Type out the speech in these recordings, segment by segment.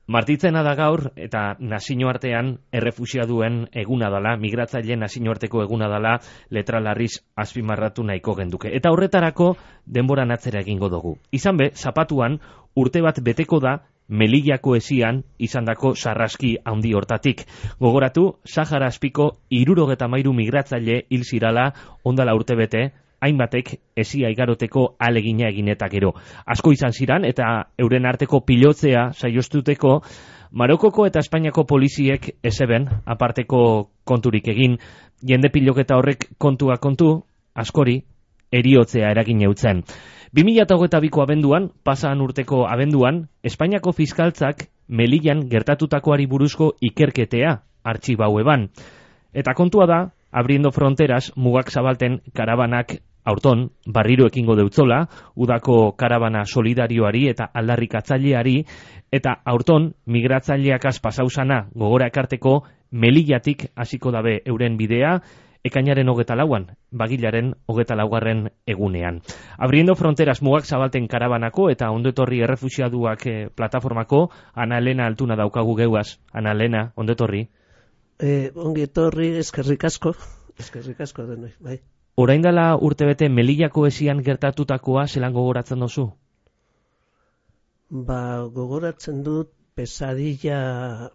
Martitzena da gaur, eta nazioartean errefuxiaduen eguna dela, migratzaile nazioarteko eguna dela, letra larriz azpimarratu nahiko genduke. Eta horretarako denboran atzera egingo dugu. Izan be, zapatuan urte bat beteko da Melillako esian izandako sarraski handi hortatik. Gogoratu, Sahara azpiko 73 migratzaile hil zirala ondala urte bete, hainbatek esia igaroteko alegina egin eta gero. Asko izan ziran eta euren arteko pilotzea saiostuteko Marokoko eta Espainiako poliziek ezeben aparteko konturik egin, jende piloketa horrek kontua kontu, askori eriotzea eragin eutzen. 2022ko abenduan, pasan urteko abenduan, Espainiako fiskaltzak Melillan gertatutakoari buruzko ikerketea artxibau eban. Eta kontua da, Abriendo Fronteras mugak zabalten karabanak aurton barriro ekingo deutzola, udako karabana solidarioari eta aldarrikatzaileari, eta aurton migratzaileakaz pasausana gogora ekarteko Melillatik hasiko dabe euren bidea, ekainaren 24an, bagilaren 24. egunean. Abriendo Fronteras mugak zabalten karabanako eta ondo etorri errefuxiaduak plataformako Ana Elena Altuna daukagu geuaz. Ana Elena, ondo etorri. Ongi etorri, eskerrik asko denoi, bai. Orain dela urtebete Melillako esian gertatutakoa zelan gogoratzen duzu? Gogoratzen dut pesadilla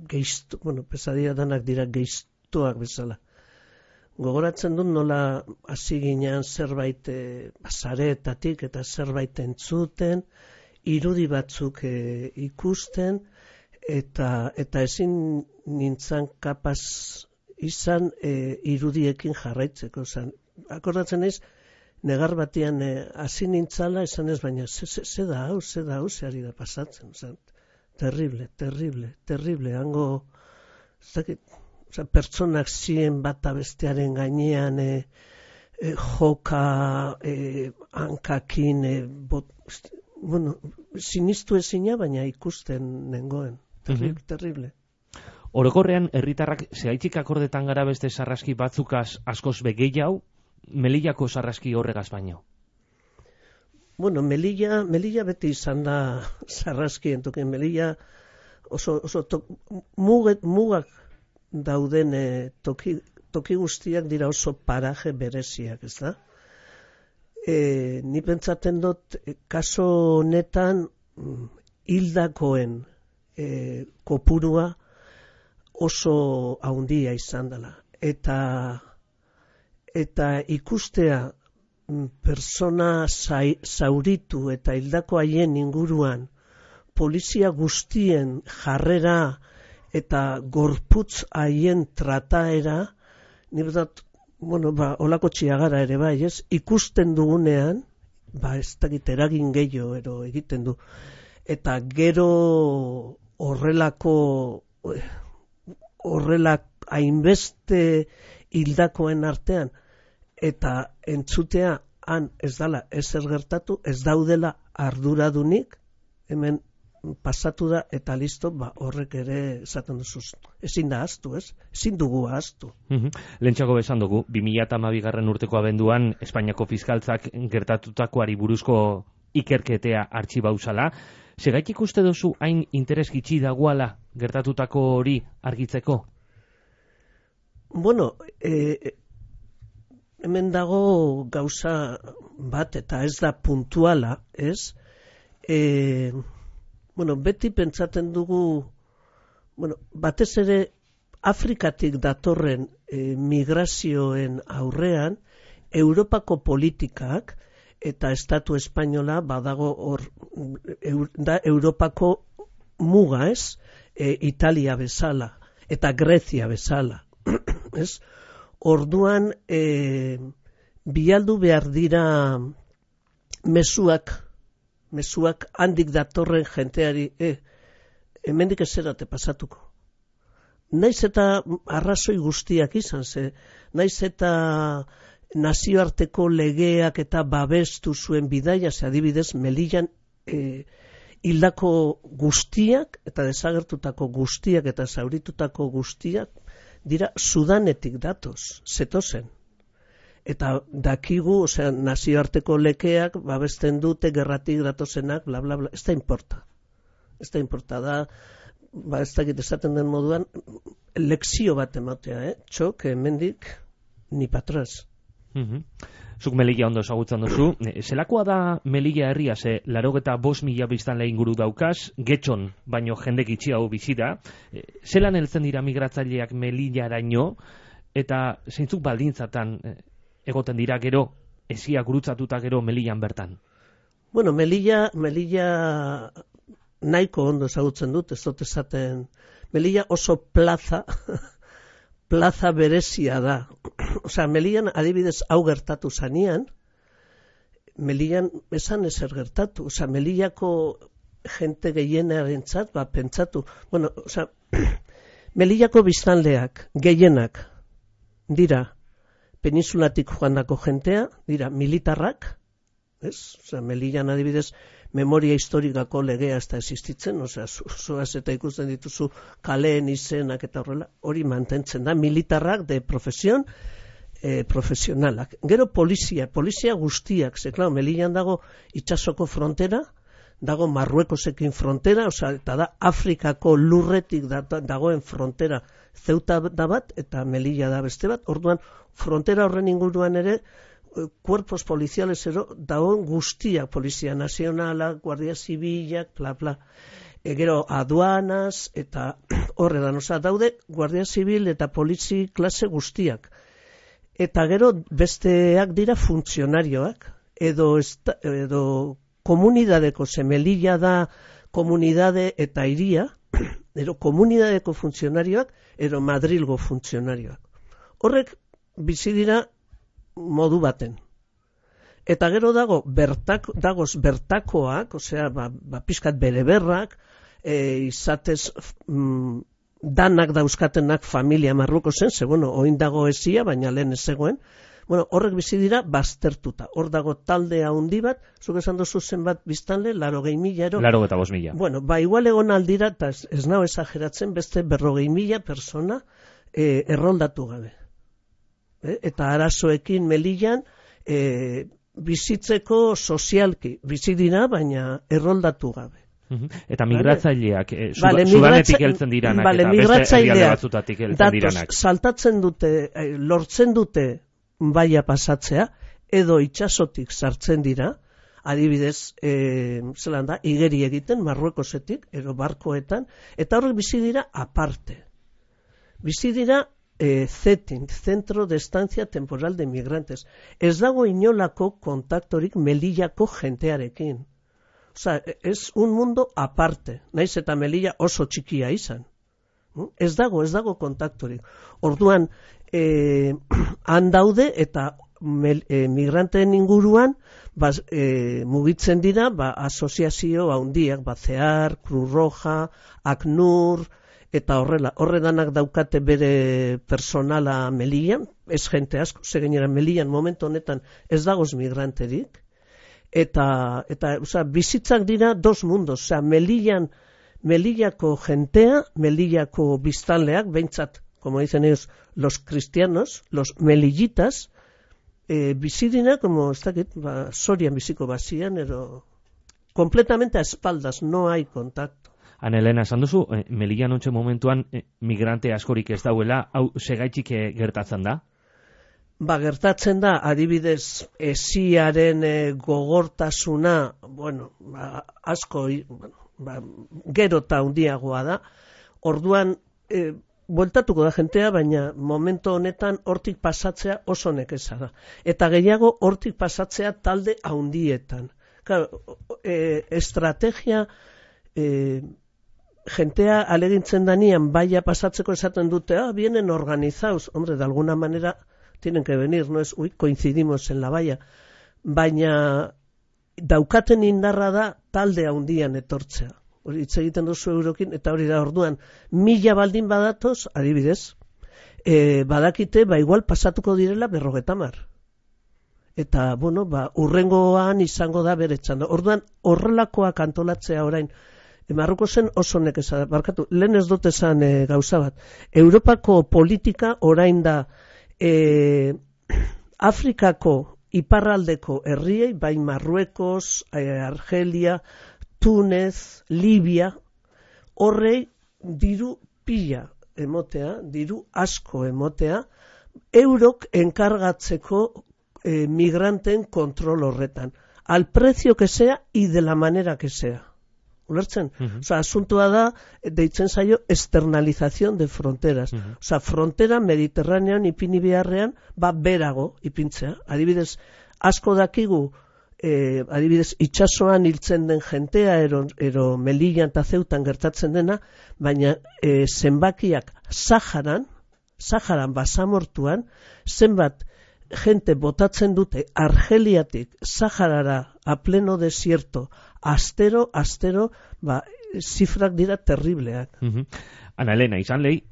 geiztu, pesadilla danak dira geiztuak bezala. Gogoratzen dut nola hasi ginean zerbait sareetatik eta zerbait entzuten, irudi batzuk ikusten, eta ezin nintzen kapaz izan irudiekin jarraitzeko. Akordatzen naiz, negar batean hasi nintzala, esan ez baina, ze da hau, ze ari da pasatzen. Terrible. Hango, pertsonak ziren bata bestearen gainean, joka, hankakin, sinistu ezina, baina ikusten nengoen. Terrible. Orokorrean, herritarrak zehaitzik akordetan gara beste sarraski batzukaz askoz begeiau, Melillako sarraski horregaz baino? Melilla beti izan da sarraski entoken. Melilla oso mugak dauden toki guztiak dira oso paraje bereziak, ez da? Ni pentsaten dut, kaso honetan hildakoen kopurua oso haundia izan dela. Eta ikustea persona zauritu eta hildako haien inguruan polizia guztien jarrera eta gorputz haien trataera, nire dut, olako txiagara ere bai, ez? Ikusten dugunean, ez dakit eragin gehiago egiten du. Eta gero horrelak hainbeste hildakoen artean, eta entzutea han ez dala ezer gertatu, ez daudela arduradunik, hemen pasatu da eta listo, horrek ere esaten duzuz. Ezin da ahaztu, ez? Ezin dugu ahaztu. Lehentxako besan dugu, 2012 urteko abenduan Espainiako fiskaltzak gertatutakoari buruzko ikerketea artxibauzala. Segaitik uste duzu hain interes gitxi dagoala gertatutako hori argitzeko? Hemen dago gauza bat eta ez da puntuala, ez? Beti pentsaten dugu, batez ere Afrikatik datorren migrazioen aurrean, Europako politikak eta Estatu Espainola badago hor, da Europako muga, ez? Italia bezala eta Grezia bezala, ez? Orduan, bialdu behar dira mezuak handik datorren jenteari, hemendik ezerate pasatuko. Naiz eta arrazoi guztiak izan, naiz eta nazioarteko legeak eta babestu zuen bidaia, adibidez, Melillan hildako guztiak eta desagertutako guztiak eta zauritutako guztiak dira Sudanetik datoz, zetozen. Eta dakigu, nazioarteko lekeak babesten dute gerratik datozenak, bla, bla, bla, ez da importa. ez da inportada, ez dakit esaten den moduan, lekzio bat ematea, txok, hemendik, ni patraz. Zuk Melilla ondo ezagutzen duzu. Zelakoa da Melilla herria, ze 85.000 biztanle inguru daukaz, Getxon baino jendek itxiago bizi da. Zelan heltzen dira migratzaileak Melillaraino, eta zeintzuk baldintzatan egoten dira gero, esia gurutzatuta gero Melillan bertan? Bueno, Melilla nahiko ondo ezagutzen dut, ez dut esaten. Melilla oso plaza berezia da. Osea, Melillan adibidez hau gertatu zanean, Melillan esan ezer gertatu. Osea, Melillako jente gehienarentzat, pentsatu. Bueno, osea, Melillako biztanleak, gehienak, dira peninsulatik joandako jentea, dira militarrak, ez? Osea, Melillan adibidez memoria historikako legea ez da existitzen, osea, zoaz eta ikusten dituzu kaleen izenak eta horrela, hori mantentzen da, militarrak de profesión, profesionalak. Gero polizia guztiak, ze, klar, Melillan dago itsasoko frontera, dago Marruekosekin frontera, osea, eta da Afrikako lurretik dagoen frontera Ceuta da bat, eta Melilla da beste bat, orduan frontera horren inguruan ere, cuerpos policiales dagoen guztiak, Polizia Nazionala, Guardia Zibilak, bla. Gero aduanas, eta horredan, osea, daude Guardia Zibil eta polizi klase guztiak. Eta gero besteak dira funtzionarioak, edo komunidadeko, ze Melilla da komunidade eta iria, edo komunidadeko funtzionarioak, edo Madrilgo funtzionarioak. Horrek bizi dira modu baten. Eta gero dagoz bertakoak, osea, pixkat bereberrak, izatez danak dauzkatenak familia Marrueko zen, ze, bueno, oin dago esia, baina lehen ez zegoen, bueno, horrek bizi dira baztertuta. Hor dago talde handi bat, zuk esan duzu zenbat biztanle, 80.000 ero. 85.000. Bueno, igual egon aldira, eta ez nao esageratzen, beste 40.000 persona erroldatu gabe. Eta arazoekin Melillan bizitzeko sozialki bizi dira, baina erroldatu gabe. Eta migratzaileak, Sudanetik heltzen diranak, eta beste herrialde batzutatik heltzen diranak. Saltatzen dute, lortzen dute baia pasatzea, edo itsasotik sartzen dira, adibidez, zelan da, igeri egiten, Marruekosetik, edo barkoetan, eta horrek bizi dira aparte. Bizi dira CETIN, Centro de Estancia Temporal de Migrantes. Ez dago inolako kontaktorik Melillako jentearekin. Osea, es un mundo aparte. Naiz eta Melilla oso txikia izan. Ez dago kontaktorik. Orduan, han daude eta migranteen inguruan mugitzen dira asoziazio handiak, CEAR, Cruz Roja, ACNUR, eta horredanak daukate bere personala Melillan, ez jente asko, gainera Melillan momentu honetan ez dagoz migranterik, eta bizitzak dira dos mundos, osea, Melillako jentea, Melillako biztanleak, behintzat, como dicen ellos, los cristianos, los melillitas, bizidina, como ez dakit, sorian biziko bazian, edo completamente a espaldas, no hay contacto. Elena, esan duzu, Melillan ontxe momentuan migrante askorik ez dauela, hau segaitxik gertatzen da? Gertatzen da, adibidez, esiaren gogortasuna, bueno, asko, gero eta handiagoa da, orduan, bueltatuko da jentea, baina momento honetan hortik pasatzea oso nekeza da. Eta gehiago hortik pasatzea talde handietan. Claro, estrategia, jentea alegintzen danian baia pasatzeko esaten dute, vienen organizados, hombre, de alguna manera tienen que venir, no es, coincidimos en la valla, baina daukaten indarra da talde handian etortzea. Hori hitz egiten duzu eurokin, eta hori da orduan, 1000 baldin badatoz, adibidez, badakite, igual pasatuko direla 50. Eta, bueno, urrengoan izango da bere txanda. Orduan, horrelakoak antolatzea orain, Marruko zen oso nekeza da, barkatu, lehen ez dut esan gauza bat. Europako politika orain da Afrikako iparraldeko herriei, bai Marruekos, Argelia, Túnez, Libia, horrei diru pila emotea, diru asko emotea, eurok enkargatzeko migranten kontrol horretan. Al precio que sea y de la manera que sea. Ulertzen? Osa, asuntua da, deitzen zaio, externalización de fronteras. Osa, frontera mediterranean ipini beharrean, berago ipintzea. Adibidez, asko dakigu, adibidez, itxasoan hiltzen den jentea, ero Melillan eta Zeutan gertatzen dena, baina zenbakiak Saharan basamortuan, zenbat gente botatzen dute Argeliatik Saharara a pleno desierto, astero, zifrak dira terribleak. Ana Elena, izan lehi,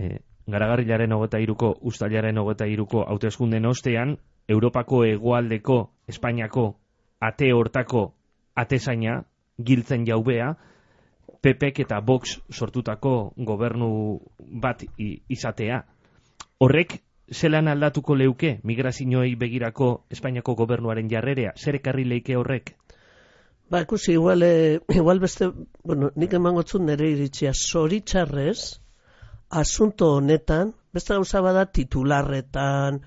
Garagarrilaren 23ko, Uztailaren 23ko hauteskunden ostean, Europako hegoaldeko, Espainiako, ate hortako atezaina, giltzen jaubea, PPek eta Vox sortutako gobernu bat izatea. Horrek, zelan aldatuko leuke migrazioei begirako Espainiako gobernuaren jarrerea? Zer ekarri leike horrek? Ikusi, igual beste, nik emangotzun nire iritzia, zoritxarrez, asunto honetan, beste gauza bada titularretan,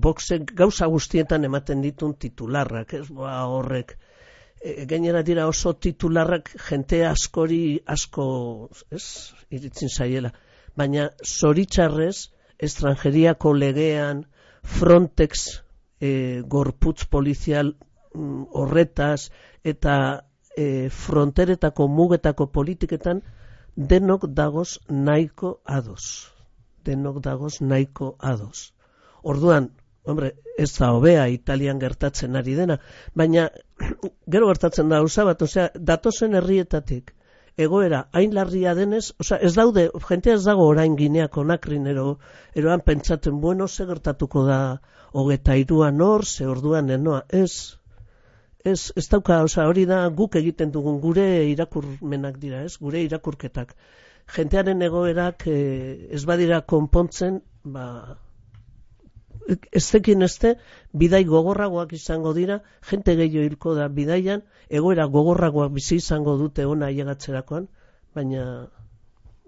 Voxek gauza guztietan ematen ditun titularrak, horrek, gainera dira oso titularrak jente asko, iritzin zaiela, baina zoritxarrez, estrangeriako legean, Frontex, gorputz polizial horretaz, eta fronteretako mugetako politiketan, denok dagoz nahiko ados. Orduan, ez da hobea Italian gertatzen ari dena, baina gero gertatzen da gauza bat, datozen herrietatik, egoera hain larria denez, ez daude, jentea ez dago orain Ginea Konakrin eroan pentsatzen, ze gertatuko da 23an hor, ze orduan enoa, ez dauka, hori da guk egiten dugun gure irakurmenak dira, gure irakurketak. Jentearen egoerak ez badira konpontzen, ez zekin bidai gogorragoak izango dira, jente gehiago hilko da bidaian, egoera gogorragoak bizi izango dute ona ailegatzerakoan, baina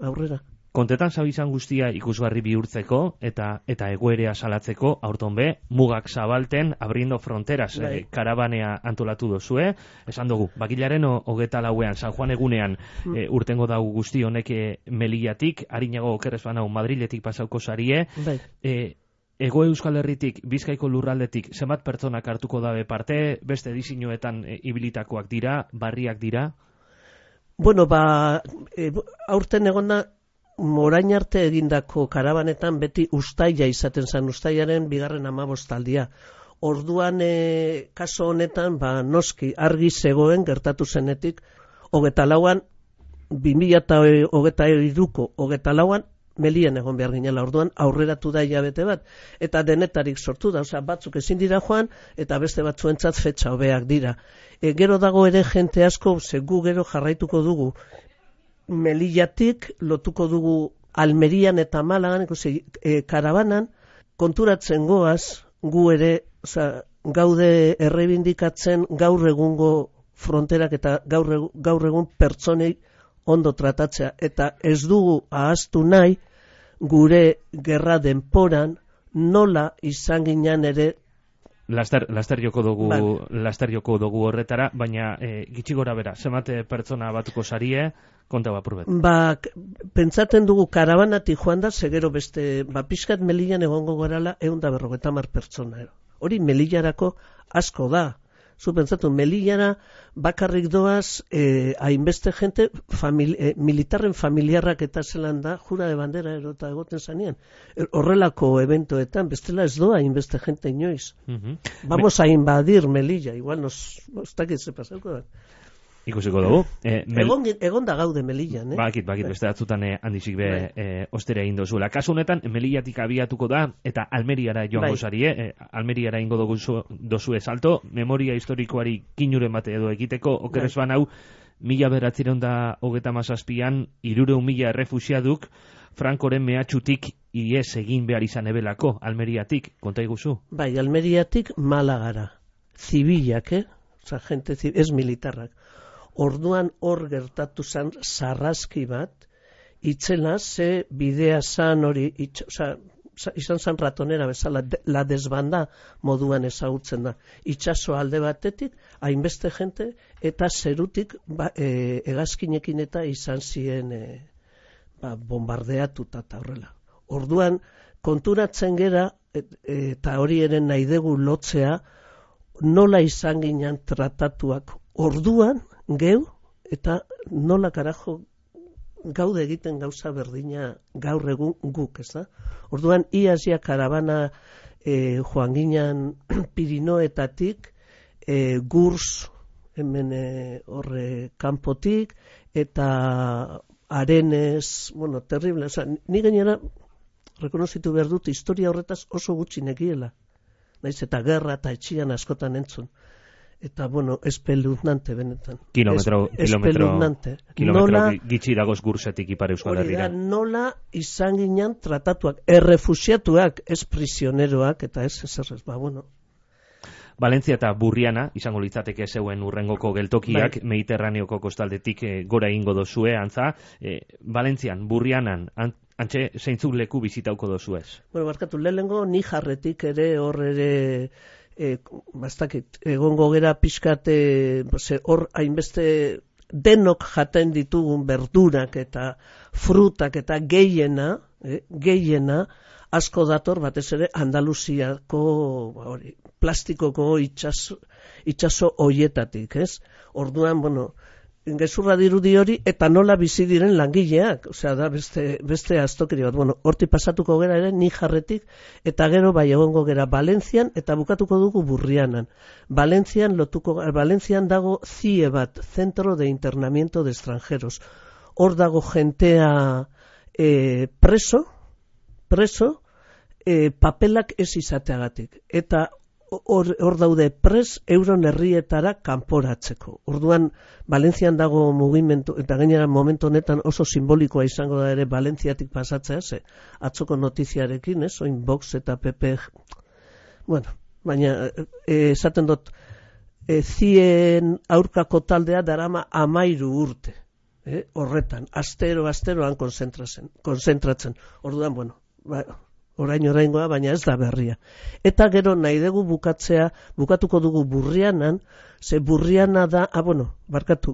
aurrera. Kontetan zabizan guztia ikusgarri bihurtzeko eta egoerea salatzeko, aurton be, mugak zabalten, abriendo fronteras, karabanea antolatu dozue, esan dugu, bakilaren 24an, San Juan egunean, urtengo dago guzti honek Melillatik, harinago okerrez banau Madriletik pasauko zarie, Ego Euskal Herritik, Bizkaiko lurraldetik, zenbat pertsonak hartuko dabe parte, beste edizioetan ibilitakoak dira, barriak dira? Aurten egona, orain arte egindako karabanetan beti Uztaila izaten zen, Uztailaren 2. aldia. Orduan, kaso honetan, noski, argi zegoen gertatu zenetik, 24an, 2023ko 24an, Melillan egon behar ginela, orduan aurreratu da hilabete bat, eta denetarik sortu da, batzuk ezin dira joan, eta beste batzuentzat fetxa hobeak dira. Gero dago ere jente asko, gu gero jarraituko dugu, Melillatik lotuko dugu Almerian eta Malagan, karabanan, konturatzen goaz, gu ere, gaude errebindikatzen gaur egungo fronterak eta gaur egun pertsonei ondo tratatzea, eta ez dugu ahaztu nahi gure gerra denporan nola izan ginen ere Laster joko dugu horretara, baina gitxi gora bera, zenbat pertsona batuko sarie, konta bapurbet. Pentsaten dugu karabanatik joan da, segero beste, pixkat Melillan egongo gorala 150 pertsona. Hori Melillarako asko da. Zu pentsatu, Melillara bakarrik doaz, hainbeste jente, militarren familiarrak eta zelan da, jura de bandera erota egoten zanean. Horrelako eventoetan, bestela ez doa hainbeste jente inoiz. Vamos a invadir Melilla, igual nos takit ze pasauko da. Ikusiko dugu. Egon da gaude Melillan, Bakit, beste batzutan handizik ostera egin dozuela. Kasu honetan, Melillatik abiatuko da, eta Almeriara joango zarie, Almeriara ingo dozue salto, memoria historikoari kinuren bate edo egiteko, okerrez banau, 1937an, 300.000 errefusiaduk, Frankoren mehatxutik ies egin behar izan ebelako, Almeriatik, konta iguzu? Almeriatik Malagara, zibilak, gente ez militarrak. Orduan hor gertatu zen sarraski bat, itzela ze bidea zan hori, izan zen ratonera bezala, la desbanda moduan ezagutzen da. Itxaso alde batetik, hainbeste jente, eta zerutik hegazkinekin eta izan ziren bombardeatuta eta horrela. Orduan, konturatzen gera, eta hori ere nahi dugu lotzea, nola izan ginen tratatuak orduan, geu, eta nola karajo gaude egiten gauza berdina gaur egun guk, ez da? Orduan, iazia karabana joan ginen Pirinoetatik, Gurs, hemen horre kanpotik, eta Arenes, bueno, terrible, oza, ni gainera, rekonozitu behar dut, historia horretaz oso gutxi nekiela. Naiz eta gerra eta etxian askotan entzun. Eta, bueno, espeluznante benetan. Kilometro gitxi dagoz Gursetik Ipar Euskal Herrira. Nola izan ginen tratatuak, errefusiatuak, ez prisioneroak, eta ez ezerrez, bueno. Valentzia eta Burriana, izango litzateke zeuen urrengoko geltokiak, bai. Mediterraneoko kostaldetik gora ingo dozue, antza. Valentzian, Burrianan, antxe zeintzuk leku bizitauko dozu ez? Bueno, barkatu, lehenengo Nijarretik ere hor ere bastakit, egongo gera pixkat hor hainbeste denok jaten ditugun berdurak eta frutak eta gehiena asko dator batez ere Andaluziako plastikoko itxaso hoietatik, ez? Orduan, bueno, gezurra dirudi hori, eta nola bizi diren langileak, osea, da beste aztokeri bat. Bueno, horti pasatuko gera ere, Nijarretik, eta gero bai egongo gera Valentzian, eta bukatuko dugu Burrianan. Valentzian dago CIE bat, Centro de Internamiento de Extranjeros. Hor dago jentea preso, papelak ez izateagatik. Eta hor daude euron herrietara kanporatzeko. Orduan, Valentzian dago mugimendu, eta gainera momentu honetan oso simbolikoa izango da ere Valentziatik pasatzea, atzoko notiziarekin, oin Vox eta PP. Bueno, baina esaten dut, zien aurkako taldea darama 13 urte. Horretan, asteroan konzentratzen. Orduan, bueno, oraingoa, baina ez da berria. Eta gero nahi dugu bukatuko dugu Burrianan, ze Burriana da,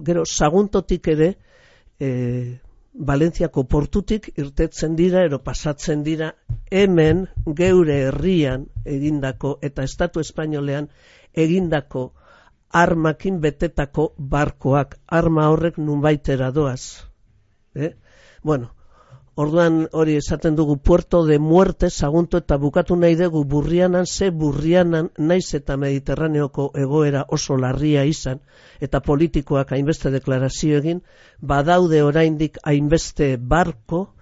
gero Saguntotik ere, Valentziako portutik irtetzen dira, pasatzen dira, hemen geure herrian egindako, eta Estatu Espainolean egindako armakin betetako barkoak, arma horrek nunbaitera doaz. Bueno, orduan hori esaten dugu Puerto de Muerte, Sagunto, eta bukatu nahi dugu Burrianan, Burrianan naiz eta Mediterraneoko egoera oso larria izan, eta politikoak hainbeste deklarazio egin, badaude oraindik hainbeste barko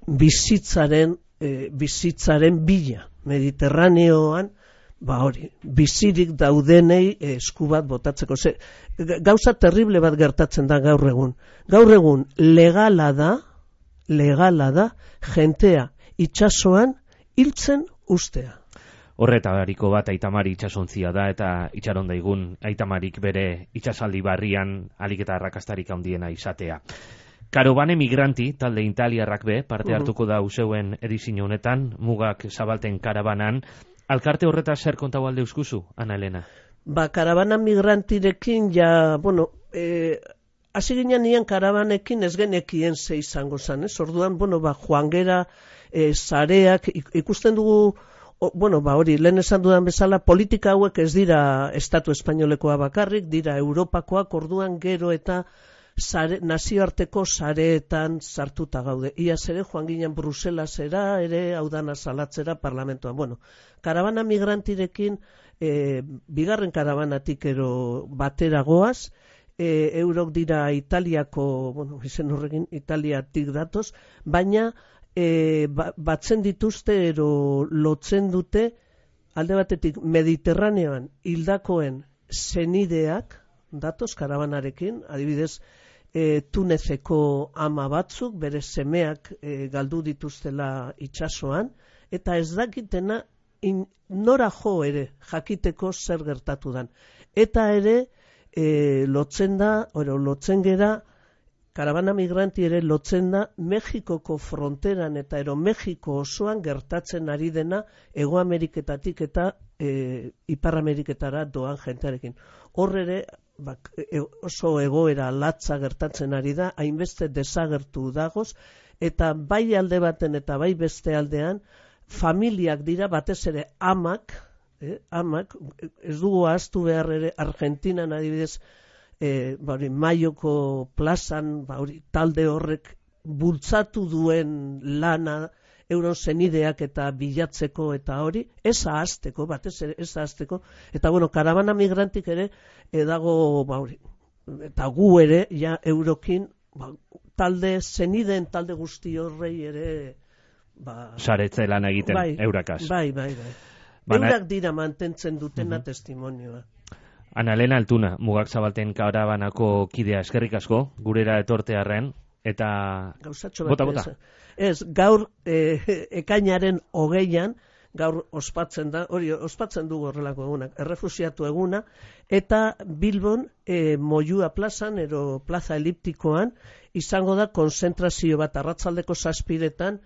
bizitzaren bila. Mediterraneoan, bizirik daudenei esku bat botatzeko. Gauza terrible bat gertatzen da gaur egun. Gaur egun legala da jentea itxasoan hiltzen ustea. Horretariko bat Aitamari itxasontzia da, eta itxaron daigun Aitamarik bere itxasaldi barrian alik eta arrakastarik handiena izatea. Karobane migranti, talde italiarrak parte hartuko da useuen edizio honetan, mugak zabalten karabanan. Alkarte horreta zer kontau alde euskuzu, Ana Elena? Karabana migrantirekin hasi ginen nian karabanekin ez genekien ze izango zan, ez? Orduan, joan gera sareak, ikusten dugu, hori, lehen esan dudan bezala, politika hauek ez dira Estatu Espainolekoa bakarrik, dira Europakoak, orduan gero eta nazioarteko sareetan sartuta gaude. Iaz ere, joan ginen Bruselasera, ere haudana salatzera parlamentoan. Karabana migrantirekin, bigarren karabanatik ero batera goaz, eurok dira Italiako, izen horrekin Italiatik datoz, baina batzen dituzte ero lotzen dute alde batetik Mediterraneoan hildakoen senideak datoz karabanarekin, adibidez Tunezeko ama batzuk bere semeak galdu dituztela itsasoan, eta ez dakitena nora jo ere jakiteko zer gertatu dan. Eta ere lotzen gera, karabana migranti ere lotzen da Mexikoko fronteran eta Mexiko osoan gertatzen ari dena Hego Ameriketatik eta Ipar Ameriketara doan jentearekin. Hor ere oso egoera latza gertatzen ari da, hainbeste desagertu dagoz, eta bai alde baten eta bai beste aldean, familiak dira batez ere amak, ez dugu ahaztu behar ere Argentinan adibidez, Maioko plazan talde horrek bultzatu duen lana euron zenideak eta bilatzeko eta hori, ez ahazteko, batez ere ez ahazteko, eta karabana migrantik ere dago, eta gu ere, ja eurokin, zenideen talde guzti horrei ere, saretze lan egiten, eurakaz. Bai. Eurak dira mantentzen dutena testimonioa. Ana Elena Altuna, Mugak Zabalten karabanako kidea, eskerrik asko, gurera etortearren, eta... Gauzatxo bat, ez, gaur ekainaren 20an, gaur ospatzen da, hori ospatzen dugu horrelako egunak, errefusiatu eguna, eta Bilbon Moyua plazan, plaza eliptikoan, izango da konzentrazio bat arratsaldeko 7:00,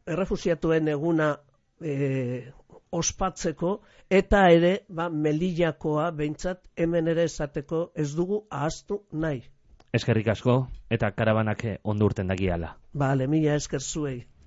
errefusiatuen eguna ospatzeko, eta ere, Melillakoa behintzat hemen ere esateko ez dugu ahaztu nahi. Eskerrik asko, eta karabanak ondo urten dagiala. Mila esker zuei.